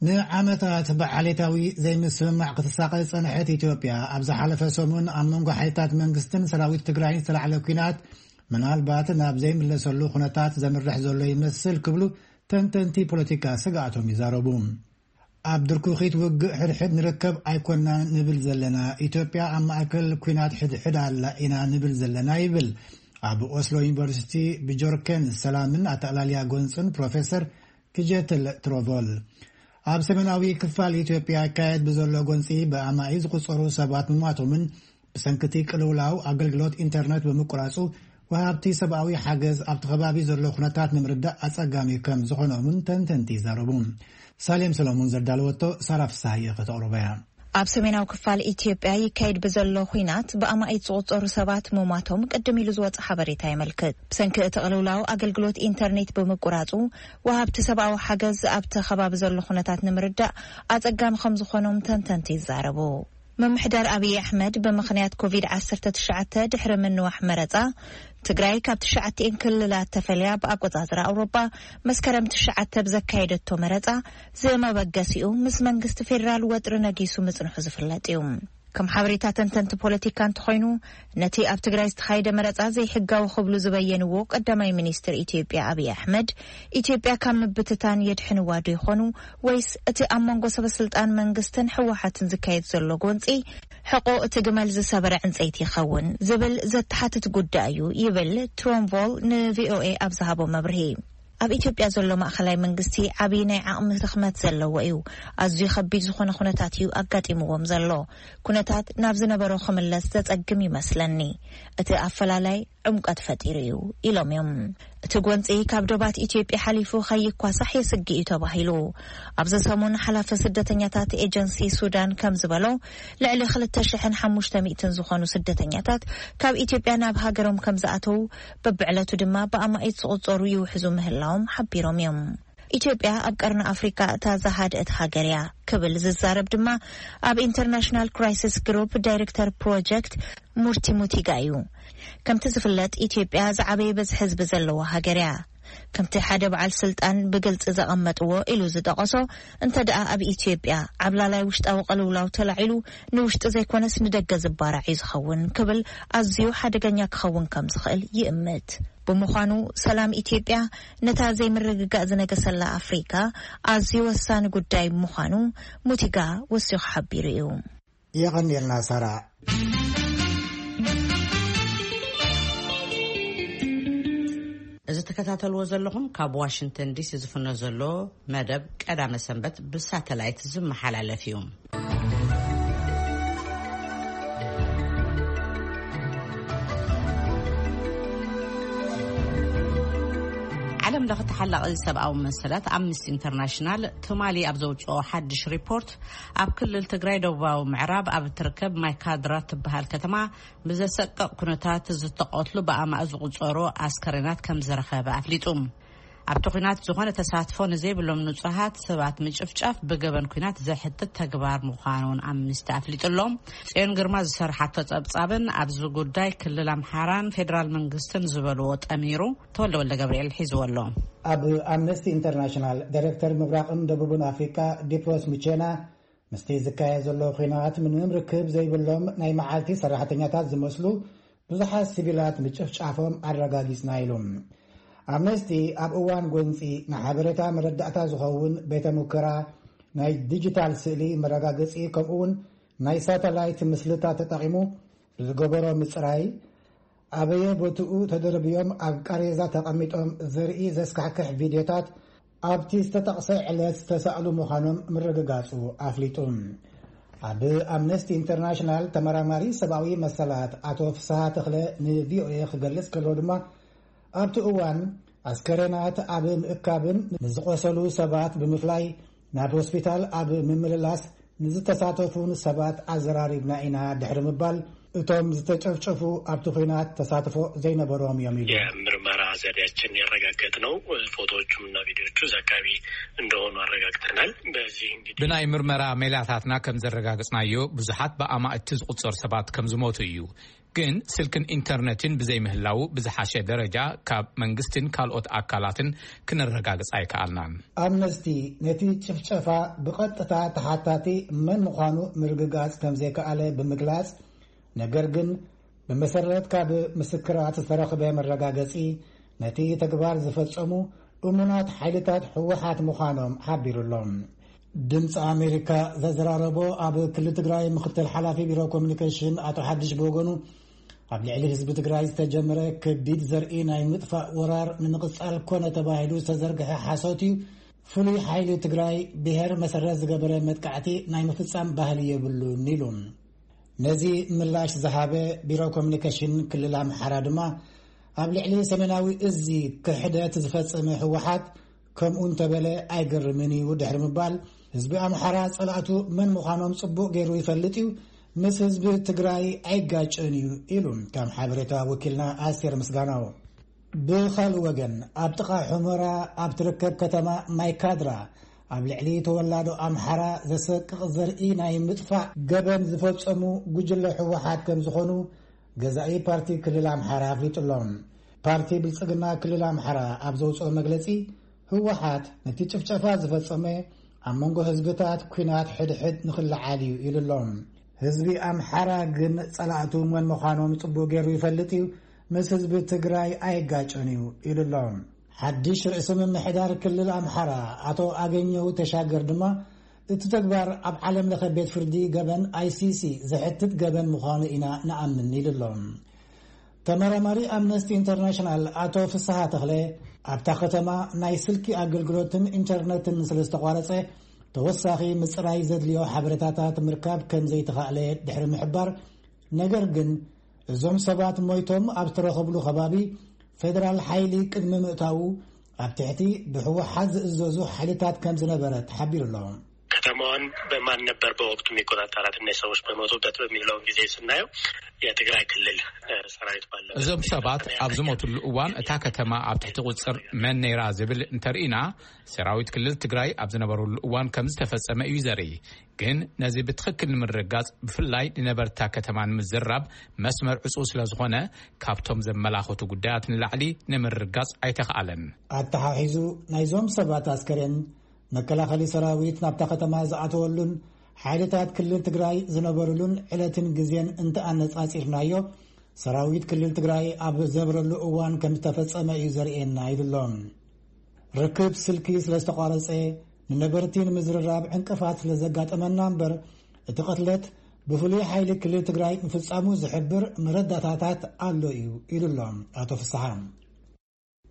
ንዓመታት ብዓሌታዊ ዘይምስምማዕ ክትሳቐ ዝጸንሐት ኢትዮጵያ፣ ኣብ ዝሓለፈ ሰሙን ኣብ መንጎ ሓይልታት መንግስትን ሰራዊት ትግራይን ዝተላዕለ ኲናት ምናልባት ናብ ዘይምለሰሉ ኩነታት ዘምርሕ ዘሎ ይመስል ክብሉ ተንተንቲ ፖለቲካ ስግኣቶም ይዛረቡ። ኣብ ድርኩኺት ውግእ ሕድሕድ ንርከብ ኣይኮናን ንብል ዘለና። ኢትዮጵያ ኣብ ማእከል ኲናት ሕድሕድ ኣላ ኢና ንብል ዘለና ይብል ኣብ ኦስሎ ዩኒቨርሲቲ ብጆርኬን ሰላምን ኣጠቕላልያ ጎንጽን ፕሮፌሰር ክጀትል ትሮቮል። ኣብ ሰሜናዊ ክፋል ኢትዮጵያ ይካየድ ብዘሎ ጎንጺ ብኣማኢ ዝቑጸሩ ሰባት ምሟቶምን ብሰንክቲ ቅልውላው ኣገልግሎት ኢንተርነት ብምቁራጹ ወሃብቲ ሰብኣዊ ሓገዝ ኣብቲ ከባቢ ዘሎ ኩነታት ንምርዳእ ኣጸጋሚ ከም ዝኾኖምን ተንተንቲ ይዛረቡ። ሳሌም ሰሎሞን ዘዳለወቶ ሳራ ፍስሃየ ከተቕርቦ እያ። ኣብ ሰሜናዊ ክፋል ኢትዮጵያ ይካየድ ብዘሎ ኹናት ብኣማኢት ዝቑጸሩ ሰባት ምሟቶም ቅድም ኢሉ ዝወጸ ሓበሬታ የመልክት። ብሰንኪ እቲ ቅልውላው ኣገልግሎት ኢንተርኔት ብምቁራጹ ወሃብቲ ሰብኣዊ ሓገዝ ኣብቲ ከባቢ ዘሎ ኩነታት ንምርዳእ ኣጸጋሚ ከም ዝኾኖም ተንተንቲ ይዛረቡ። ምምሕዳር ኣብይ ኣሕመድ ብምኽንያት ኮቪድ ዓሰርተ ትሽዓተ ድሕሪ ምንዋሕ መረጻ ትግራይ ካብ ትሽዓቲኤን ክልላት ተፈልያ ብኣቆጻጽራ ኣውሮጳ መስከረም ትሽዓተ ብዘካየደቶ መረጻ ዝመበገሲኡ ምስ መንግስቲ ፌዴራል ወጥሪ ነጊሱ ምጽንሑ ዝፍለጥ እዩ። ከም ሓበሬታ ተንተንቲ ፖለቲካ እንተኾይኑ፣ ነቲ ኣብ ትግራይ ዝተኻየደ መረጻ ዘይሕጋዊ ክብሉ ዝበየንዎ ቀዳማይ ሚኒስትር ኢትዮጵያ ኣብይ ኣሕመድ፣ ኢትዮጵያ ካብ ምብትታን የድሕንዋ ዶ ይኾኑ ወይስ እቲ ኣብ መንጎ ሰበ ስልጣን መንግስትን ህወሓትን ዝካየድ ዘሎ ጎንጺ ሕቆ እቲ ግመል ዝሰበረ ዕንጸይቲ ይኸውን ዝብል ዘተሓትት ጉዳይ እዩ ይብል ትሮንቮል ንቪኦኤ ኣብ ዝሃቦ መብርሂ። ኣብ ኢትዮጵያ ዘሎ ማእኸላይ መንግስቲ ዓብዪ ናይ ዓቕሚ ድኽመት ዘለዎ እዩ። ኣዝዩ ከቢድ ዝኾነ ኩነታት እዩ ኣጋጢምዎም ዘሎ። ኩነታት ናብ ዝነበሮ ክምለስ ዘጸግም ይመስለኒ። እቲ ኣፈላላይ ዕምቀት ፈጢሩ እዩ ኢሎም እዮም። እቲ ጎንፂ ካብ ዶባት ኢትዮጵያ ሓሊፉ ከይኳሳሕ የስግእ እዩ ተባሂሉ። ኣብዚ ሰሙን ሓላፊ ስደተኛታት ኤጀንሲ ሱዳን ከም ዝበሎ ልዕሊ ክልተ ሽሕን ሓሙሽተ ሚእትን ዝኾኑ ስደተኛታት ካብ ኢትዮጵያ ናብ ሃገሮም ከም ዝኣተው በብዕለቱ ድማ ብኣማኢት ዝቑጸሩ ይውሕዙ ምህላዎም ሓቢሮም እዮም። ኢትዮጵያ ኣብ ቀርኒ ኣፍሪካ እታ ዝሃድአት ሃገር እያ ክብል ዝዛረብ ድማ ኣብ ኢንተርናሽናል ክራይሲስ ግሩፕ ዳይሬክተር ፕሮጀክት ሙርቲ ሙቲጋ እዩ። ከምቲ ዝፍለጥ ኢትዮጵያ ዝዓበየ በዝሒ ህዝቢ ዘለዋ ሃገር እያ። ከምቲ ሓደ በዓል ስልጣን ብግልፂ ዘቐመጥዎ ኢሉ ዝጠቐሶ፣ እንተ ደኣ ኣብ ኢትዮጵያ ዓብላላይ ውሽጣዊ ቅልውላው ተላዒሉ ንውሽጢ ዘይኮነስ ንደገ ዝባራዕ እዩ ዝኸውን ክብል ኣዝዩ ሓደገኛ ክኸውን ከም ዝኽእል ይእምት። ብምዃኑ ሰላም ኢትዮጵያ ነታ ዘይምርግጋእ ዝነገሰላ ኣፍሪካ ኣዝዩ ወሳኒ ጉዳይ ምዃኑ ሙቲጋ ወሲኹ ሓቢሩ እዩ። የቐንየልና ሳራ። እዚ ትከታተልዎ ዘለኹም ካብ ዋሽንግተን ዲሲ ዝፍኖ ዘሎ መደብ ቀዳመ ሰንበት ብሳተላይት ዝመሓላለፍ እዩ። ዓለም ለኸ ተሓላቒ ሰብኣዊ መሰላት ኣምነስቲ ኢንተርናሽናል ትማሊ ኣብ ዘውፅኦ ሓድሽ ሪፖርት ኣብ ክልል ትግራይ ደቡባዊ ምዕራብ ኣብ እትርከብ ማይካድራ ትበሃል ከተማ ብዘሰቅቕ ኩነታት ዝተቐትሉ ብኣማእ ዝቑጸሩ ኣስከሬናት ከም ዝረኸበ ኣፍሊጡ። ኣብቲ ኲናት ዝኾነ ተሳትፎ ንዘይብሎም ንጹሃት ሰባት ምጭፍጫፍ ብገበን ኲናት ዘሕትት ተግባር ምዃኑ እውን ኣምነስቲ ኣፍሊጡ ኣሎ። ጽዮን ግርማ ዝሰርሓቶ ጸብጻብን ኣብዚ ጉዳይ ክልል ኣምሓራን ፌደራል መንግስትን ዝበልዎ ጠሚሩ ተወልደ ወልደ ገብርኤል ሒዝዎ ኣሎ። ኣብ ኣምነስቲ ኢንተርናሽናል ዳይሬክተር ምብራቕን ደቡብን ኣፍሪቃ ዲፕሮስ ሙቼና ምስቲ ዝካየድ ዘሎ ኲናት ምንም ርክብ ዘይብሎም ናይ መዓልቲ ሰራሕተኛታት ዝመስሉ ብዙሓት ሲቪላት ምጭፍጫፎም ኣረጋጊጽና ኢሉ። ኣምነስቲ ኣብ እዋን ጎንጺ ንሓበሬታ መረዳእታ ዝኸውን ቤተ ሙከራ ናይ ዲጂታል ስእሊ መረጋገጺ ከምኡውን ናይ ሳተላይት ምስልታት ተጠቒሙ ብዝገበሮ ምጽራይ ኣበየ ቦትኡ ተደርብዮም ኣብ ቃሬዛ ተቐሚጦም ዘርኢ ዘስካሕክሕ ቪድዮታት ኣብቲ ዝተጠቕሰ ዕለት ዝተሳእሉ ምዃኖም ምርግጋጹ ኣፍሊጡ። ኣብ ኣምነስቲ ኢንተርናሽናል ተመራማሪ ሰብኣዊ መሰላት ኣቶ ፍስሃ ተኽለ ንቪኦኤ ክገልጽ ከሎ ድማ ኣብቲ እዋን ኣስከሬናት ኣብ ምእካብን ንዝቖሰሉ ሰባት ብምፍላይ ናብ ሆስፒታል ኣብ ምምልላስ ንዝተሳተፉን ሰባት ኣዘራሪብና ኢና ድሕሪ ምባል እቶም ዝተጨፍጨፉ ኣብቲ ኲናት ተሳትፎ ዘይነበሮም እዮም ኢሉ። የምርመራ ዘዴያችን ያረጋገጥነው ፎቶዎቹም እና ቪዲዮዎቹ እዛ አካባቢ እንደሆኑ አረጋግጠናል። በዚህ እንግዲህ ብናይ ምርመራ ሜላታትና ከም ዘረጋግጽናዮ ብዙሓት ብኣማእቲ ዝቑጸሩ ሰባት ከም ዝሞቱ እዩ። ግን ስልክን ኢንተርነትን ብዘይምህላው ብዝሓሸ ደረጃ ካብ መንግስትን ካልኦት ኣካላትን ክነረጋግጽ ኣይከኣልናን። ኣምነስቲ ነቲ ጭፍጨፋ ብቐጥታ ተሓታቲ መን ምዃኑ ምርግጋጽ ከም ዘይከኣለ ብምግላጽ፣ ነገር ግን ብመሰረት ካብ ምስክራት ዝተረኽበ መረጋገጺ ነቲ ተግባር ዝፈጸሙ እሙናት ሓይልታት ህወሓት ምዃኖም ሓቢሩ ኣሎ። ድምፂ ኣሜሪካ ዘዘራረቦ ኣብ ክልል ትግራይ ምክትል ሓላፊ ቢሮ ኮሚኒኬሽን ኣቶ ሓድሽ ብወገኑ፣ ኣብ ልዕሊ ህዝቢ ትግራይ ዝተጀመረ ከቢድ ዘርኢ ናይ ምጥፋእ ወራር ንምቕፃል ኮነ ተባሂሉ ዝተዘርግሐ ሓሶት እዩ። ፍሉይ ሓይሊ ትግራይ ብሄር መሰረት ዝገበረ መጥቃዕቲ ናይ ምፍፃም ባህሊ የብሉን ኢሉ። ነዚ ምላሽ ዝሃበ ቢሮ ኮሚኒኬሽን ክልል ኣምሓራ ድማ፣ ኣብ ልዕሊ ሰሜናዊ እዚ ክሕደት ዝፈጸመ ህወሓት ከምኡ እንተበለ ኣይገርምን እዩ ድሕሪ ምባል፣ ህዝቢ ኣምሓራ ጸላእቱ መን ምዃኖም ጽቡቕ ገይሩ ይፈልጥ እዩ፣ ምስ ህዝቢ ትግራይ ኣይጋጭን እዩ ኢሉ። ከም ሓበሬታ ወኪልና ኣስቴር ምስጋናው። ብኻልእ ወገን፣ ኣብ ጥቓ ሑመራ ኣብ ትርከብ ከተማ ማይካድራ ኣብ ልዕሊ ተወላዶ ኣምሓራ ዘሰቅቕ ዘርኢ ናይ ምጥፋእ ገበን ዝፈጸሙ ጉጅለ ህወሓት ከም ዝኾኑ ገዛኢ ፓርቲ ክልል ኣምሓራ ኣፍሊጡ ኣሎ። ፓርቲ ብልጽግና ክልል ኣምሓራ ኣብ ዘውፅኦ መግለጺ፣ ህወሓት ነቲ ጭፍጨፋ ዝፈጸመ ኣብ መንጎ ህዝብታት ኲናት ሕድሕድ ንኽለዓል እዩ ኢሉ ኣሎ። ህዝቢ ኣምሓራ ግን ጸላእቱ መን ምዃኖም ጽቡቕ ገይሩ ይፈልጥ እዩ፣ ምስ ህዝቢ ትግራይ ኣይጋጨን እዩ ኢሉ ኣሎ። ሓድሽ ርእሰ ምምሕዳር ክልል ኣምሓራ ኣቶ ኣገኘው ተሻገር ድማ፣ እቲ ተግባር ኣብ ዓለም ለኸ ቤት ፍርዲ ገበን ኣይሲሲ ዘሕትት ገበን ምዃኑ ኢና ንኣምን ኢሉ ኣሎ። ተመራማሪ ኣምነስቲ ኢንተርናሽናል ኣቶ ፍስሃ ተኽለ፣ ኣብታ ከተማ ናይ ስልኪ ኣገልግሎትን ኢንተርነትን ስለ ዝተቋረጸ፣ ተወሳኺ ምጽራይ ዘድልዮ ሓበሬታታት ምርካብ ከም ዘይተኻእለ ድሕሪ ምሕባር፣ ነገር ግን እዞም ሰባት ሞይቶም ኣብ ዝተረኸብሉ ከባቢ ፌደራል ሓይሊ ቅድሚ ምእታዉ ኣብ ትሕቲ ብህወሓት ዝእዘዙ ሓይልታት ከም ዝነበረ ተሓቢሩ ኣሎ። ከተማዋን በማን ነበር በወቅቱ የሚቆጣጠራት፣ እነዚህ ሰዎች በሞቱበት በሚለውን ጊዜ ስናየው የትግራይ ክልል ሰራዊት ባለበት እዞም ሰባት ኣብ ዝሞትሉ እዋን እታ ከተማ ኣብ ትሕቲ ቁፅር መን ነይራ ዝብል እንተርኢና፣ ሰራዊት ክልል ትግራይ ኣብ ዝነበሩሉ እዋን ከም ዝተፈጸመ እዩ ዘርኢ። ግን ነዚ ብትኽክል ንምርግጋጽ፣ ብፍላይ ንነበርታ ከተማ ንምዝራብ መስመር ዕጹው ስለ ዝኾነ፣ ካብቶም ዘመላኽቱ ጉዳያት ንላዕሊ ንምርግጋጽ ኣይተኽኣለን። ኣተሓሒዙ፣ ናይዞም ሰባት ኣስከሬን መከላኸሊ ሰራዊት ናብታ ከተማ ዝኣተወሉን ሓይልታት ክልል ትግራይ ዝነበሩሉን ዕለትን ግዜን እንተኣነጻጺርናዮ፣ ሰራዊት ክልል ትግራይ ኣብ ዘብረሉ እዋን ከም ዝተፈጸመ እዩ ዘርእየና ኢሉ ኣሎ። ርክብ ስልኪ ስለ ዝተቋረጸ፣ ንነበርቲ ንምዝርራብ ዕንቅፋት ስለ ዘጋጠመና እምበር፣ እቲ ቅትለት ብፍሉይ ሓይሊ ክልል ትግራይ ምፍጻሙ ዝሕብር መረዳታታት ኣሎ እዩ ኢሉ ኣሎ ኣቶ ፍስሓ።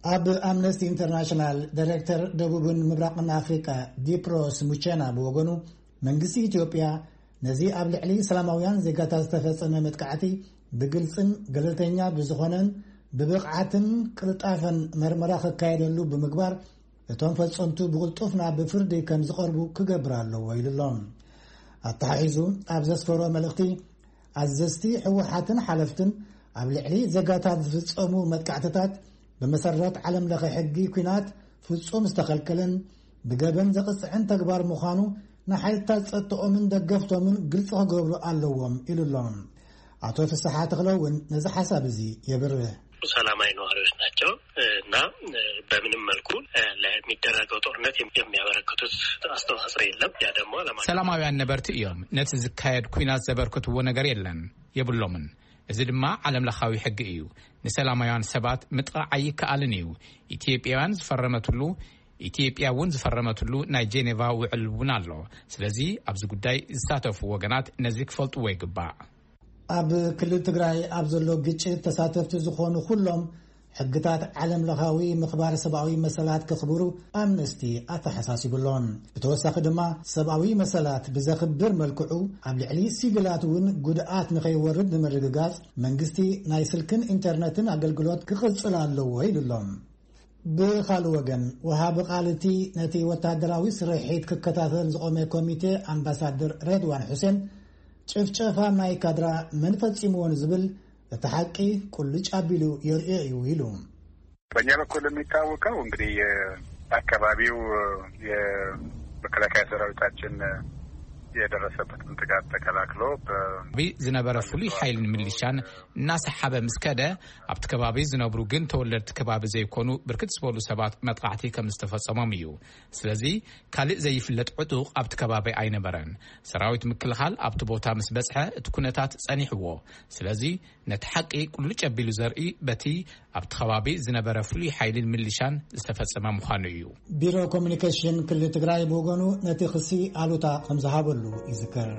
ኣብ ኣምነስቲ ኢንተርናሽናል ዳይሬክተር ደቡብን ምብራቕን ኣፍሪቃ ዲፕሮስ ሙቸና ብወገኑ፣ መንግስቲ ኢትዮጵያ ነዚ ኣብ ልዕሊ ሰላማውያን ዜጋታት ዝተፈጸመ መጥቃዕቲ ብግልጽን ገለልተኛ ብዝኾነን ብብቕዓትን ቅልጣፈን መርመራ ክካየደሉ ብምግባር፣ እቶም ፈጸምቱ ብቕልጡፍ ናብ ፍርዲ ከም ዝቐርቡ ክገብር ኣለዎ ኢሉ ኣሎ። ኣተሓሒዙ ኣብ ዘስፈሮ መልእኽቲ፣ ኣዘዝቲ ህወሓትን ሓለፍትን ኣብ ልዕሊ ዜጋታት ዝፍጸሙ መጥቃዕትታት ብመሰረት ዓለም ለኸ ሕጊ ኲናት ፍጹም ዝተኸልከለን ብገበን ዘቕጽዕን ተግባር ምዃኑ ንሓይልታት ጸጥተኦምን ደገፍቶምን ግልጺ ክገብሩ ኣለዎም ኢሉ ኣሎ። ኣቶ ፍስሓ ተኽለ እውን ነዚ ሓሳብ እዚ የብርህ። ሰላማዊ ነዋሪዎች ናቸው እና በምንም መልኩ ለሚደረገው ጦርነት የሚያበረክቱት አስተዋጽኦ የለም። ያ ደግሞ ዓለም አቀፍ ሰላማውያን ነበርቲ እዮም። ነቲ ዝካየድ ኲናት ዘበርክትዎ ነገር የለን፣ የብሎምን። እዚ ድማ ዓለም ለኻዊ ሕጊ እዩ። ንሰላማውያን ሰባት ምጥቓዕ ኣይከኣልን እዩ። ኢትዮጵያውያን ዝፈረመትሉ፣ ኢትዮጵያ እውን ዝፈረመትሉ ናይ ጄኔቫ ውዕል እውን ኣሎ። ስለዚ ኣብዚ ጉዳይ ዝሳተፉ ወገናት ነዚ ክፈልጥዎ ይግባእ። ኣብ ክልል ትግራይ ኣብ ዘሎ ግጭት ተሳተፍቲ ዝኾኑ ኩሎም ሕግታት ዓለም ለኻዊ ምኽባር ሰብኣዊ መሰላት ከኽብሩ ኣምነስቲ ኣተሓሳሲቡ ኣሎ። ብተወሳኺ ድማ ሰብኣዊ መሰላት ብዘኽብር መልክዑ ኣብ ልዕሊ ሲቪላት እውን ጉድኣት ንኸይወርድ ንምርግጋጽ መንግስቲ ናይ ስልክን ኢንተርነትን ኣገልግሎት ክቕጽል ኣለዎ ኢሉ ኣሎ። ብኻልእ ወገን፣ ወሃቢ ቃል እቲ ነቲ ወታደራዊ ስርሒት ክከታተል ዝቖመ ኮሚቴ ኣምባሳደር ሬድዋን ሑሴን፣ ጭፍጨፋ ማይ ካድራ መን ፈጺምዎ ንዝብል እቲ ሓቂ ቁልጭ ኣቢሉ የርእዮ እዩ ኢሉ። በእኛ በኩል የሚታወቀው እንግዲህ የአካባቢው የመከላከያ ሰራዊታችን የደረሰበትን ጥቃት ተከላክሎ በ- ኣካባቢ ዝነበረ ፍሉይ ሓይልን ሚሊሻን እናሰሓበ ምስ ከደ፣ ኣብቲ ከባቢ ዝነብሩ ግን ተወለድቲ ከባቢ ዘይኮኑ ብርክት ዝበሉ ሰባት መጥቃዕቲ ከም ዝተፈጸሞም እዩ። ስለዚ ካልእ ዘይፍለጥ ዕጡቕ ኣብቲ ከባቢ ኣይነበረን። ሰራዊት ምክልኻል ኣብቲ ቦታ ምስ በጽሐ እቲ ኩነታት ጸኒሕዎ። ስለዚ ነቲ ሓቂ ቁልጭ ኣቢሉ ዘርኢ በቲ ኣብቲ ከባቢ ዝነበረ ፍሉይ ሓይልን ምልሻን ዝተፈጸመ ምዃኑ እዩ። ቢሮ ኮሚኒኬሽን ክልል ትግራይ ብወገኑ ነቲ ክሲ ኣሉታ ከም ዝሃበሉ ይዝከር።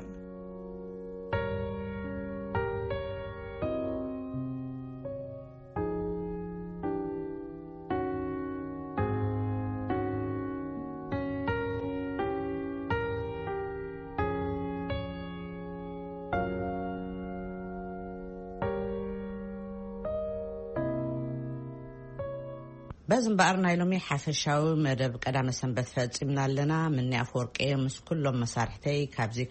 በዚ እምበኣር ናይ ሎሚ ሓፈሻዊ መደብ ቀዳመ ሰንበት ፈጺምና ኣለና። ምኒ ኣፈወርቂ ምስ ኩሎም መሳርሕተይ ካብዚ